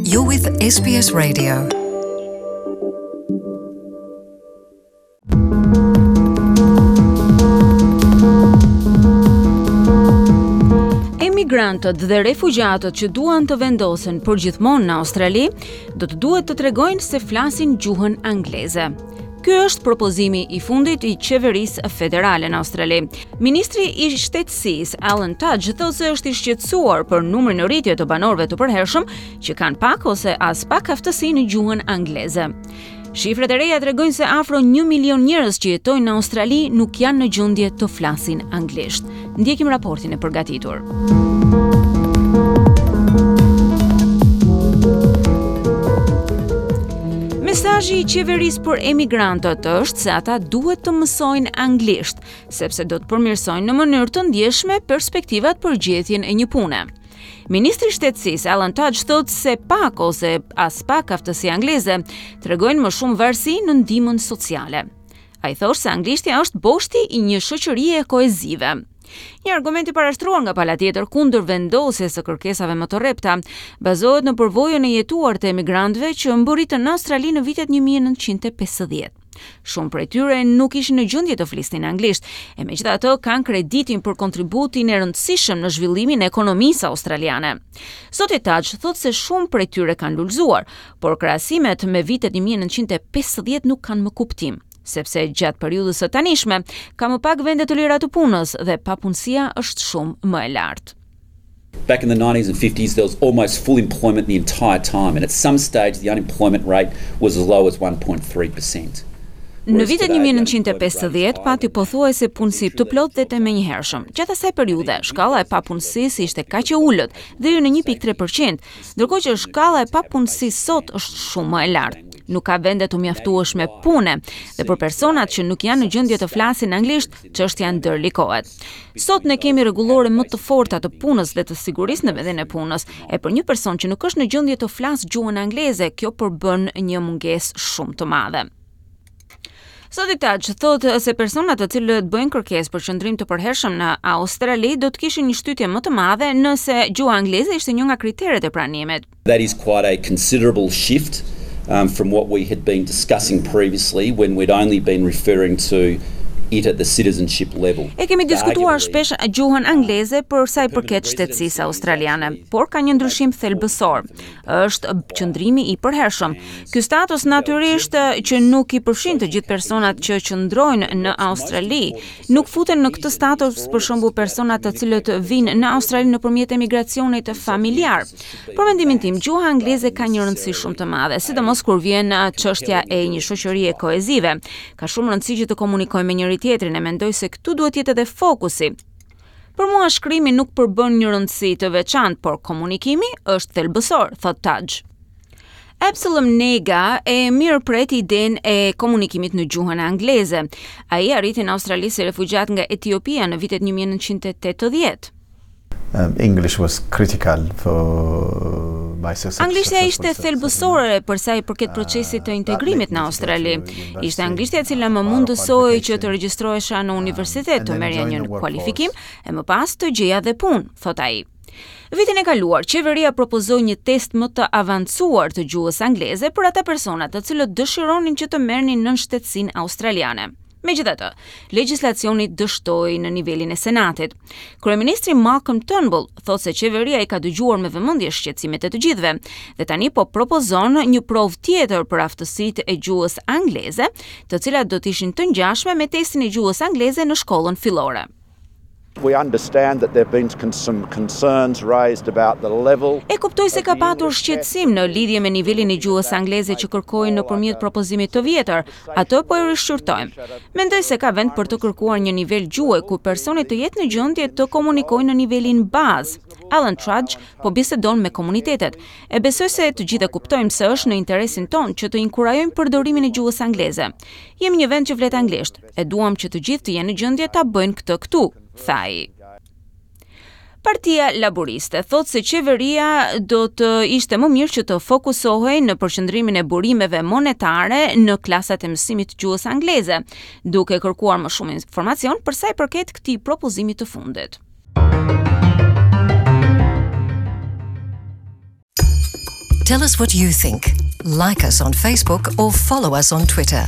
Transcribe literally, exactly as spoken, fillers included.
You're with S B S Radio. Emigrantët dhe refugjatët që duan të vendosen përgjithmonë në Australi do të duhet të tregojnë se flasin gjuhën angleze. Ky është propozimi i fundit i qeverisë federale në Australi. Ministri i Shtetësisë Alan Tudge thotë se është i shqetësuar për numrin në rritje të banorëve të përhershëm që kanë pak ose as pak aftësi në gjuhën angleze. Shifrat e reja tregojnë se afro një milion njerëz që jetojnë në Australi nuk janë në gjendje të flasin anglisht. Ndjekim raportin e përgatitur. Mesazhi i qeverisë për emigrantët është se ata duhet të mësojnë anglisht, sepse do të përmirësojnë në mënyrë të ndjeshme perspektivat për gjetjen e një pune. Ministri i Shtetësisë Alan Tudge thotë se pak ose as pak aftësi angleze tregojnë më shumë varësi në ndihmën sociale. Ai thotë se anglishtja është boshti i një shoqërie kohezive. Një argument i parashtruar nga pala tjetër kundër vendosjes së kërkesave më të rrepta bazohet në përvojën e jetuar të emigrantëve që mbërritën në Australi në vitet një mijë e nëntëqind e pesëdhjetë. Shumë prej tyre nuk ishin në gjendje të flisnin anglisht, e megjithatë kanë kreditin për kontributin e rëndësishëm në zhvillimin e ekonomisë australiane. Zoti Tudge thotë se shumë prej tyre kanë lulëzuar, por krahasimet me vitet një mijë e nëntëqind e pesëdhjetë nuk kanë më kuptim, sepse gjatë periudhës së tanishme ka më pak vende të lira të punës dhe papunësia është shumë më e lartë. Back in the nineties and fifties, there was almost full employment the entire time, and at some stage, the unemployment rate was as low as one point three percent. Në vitet një mijë e nëntëqind e pesëdhjetë pati pothuajse punësim të plotë dhe të menjëhershëm. Gjatë asaj periudhe, shkalla e papunësisë ishte kaq e ulët, deri në një pikë tre për qind, ndërkohë që shkalla e papunësisë sot është shumë më e lartë. Nuk ka vende të mjaftueshme pune dhe për personat që nuk janë në gjendje të flasin anglisht, çështja ndërlikohet. Sot ne kemi rregullore më të forta të punës dhe të sigurisë në vendin e punës, e për një person që nuk është në gjendje të flasë gjuhën angleze, kjo përbën një mungesë shumë të madhe. Zoti Tudge thotë se personat të cilët bëjnë kërkesë për qëndrim të përhershëm në Australi do të kishin një shtytje më të madhe nëse gjuha angleze ishte një nga kriteret e pranimit. That is quite a considerable shift um, from what we had been discussing previously, when we'd only been referring to it at the citizenship level. E kemi diskutuar shpesh gjuhën angleze për sa i përket shtetësisë australiane, por ka një ndryshim thelbësor. Është qëndrimi i përhershëm. Ky status natyrisht që nuk i përfshin të gjithë personat që qëndrojnë në Australi. Nuk futen në këtë status, për shembull, personat të cilët vinë në Australi nëpërmjet emigracionit familjar. Për mendimin tim, gjuha angleze ka një rëndësi shumë të madhe, sidomos kur vjen çështja e një shoqërie kohezive. Ka shumë rëndësi që të komunikojmë me njëri tjetrin e mendoj se këtu duhet jetë edhe fokusi. Për mua shkrimi nuk përbën një rëndësi të veçantë, por komunikimi është thelbësor, thot Tudge. Absalom Nega e mirëpret idenë e komunikimit në gjuhën angleze. Ai arriti në Australi si refugjat nga Etiopia në vitet një mijë e nëntëqind e tetëdhjetë. Um, English was critical for my success. Anglishtja ishte thelbësore për sa i përket procesit të integrimit në Australi. Ishte anglishtja e cila më mundësoi që të regjistrohesha në universitet, të merrja një kualifikim e më pas të gjeja dhe punë, thot ai. Vitin e kaluar, qeveria propozoi një test më të avancuar të gjuhës angleze për ata persona të cilët dëshironin që të merrnin nënshtetësinë australiane. Megjithatë, legjislacioni dështoi në nivelin e Senatit. Kryeministri Malcolm Turnbull thotë se qeveria i ka dëgjuar me vëmendje shqetësimet e të gjithëve dhe tani po propozon një provë tjetër për aftësitë e gjuhës angleze, të cilat do të ishin të ngjashme me testin e gjuhës angleze në shkollën fillore. We understand that there have been some concerns raised about the level. E kuptoj se ka patur shqetësim në lidhje me nivelin e gjuhës angleze që kërkojnë nëpërmjet propozimit të vjetër. Atë po e rishqyrtojmë. Mendoj se ka vend për të kërkuar një nivel gjuhë ku personi të jetë në gjendje të komunikojë në nivelin bazë. Alan Tudge po bisedon me komunitetet. E besoj se të gjithë e kuptojmë se është në interesin tonë që të inkurajojmë përdorimin e gjuhës angleze. Jemi një vend që flet anglisht, e duam që të gjithë të jenë në gjendje ta bëjnë këtë këtu, tha ai. Partia Laboriste thotë se qeveria do të ishte më mirë që të fokusohej në përqendrimin e burimeve monetare në klasat e mësimit të gjuhës angleze, duke kërkuar më shumë informacion për sa i përket këtij propozimi të fundit. Tell us what you think. Like us on Facebook or follow us on Twitter.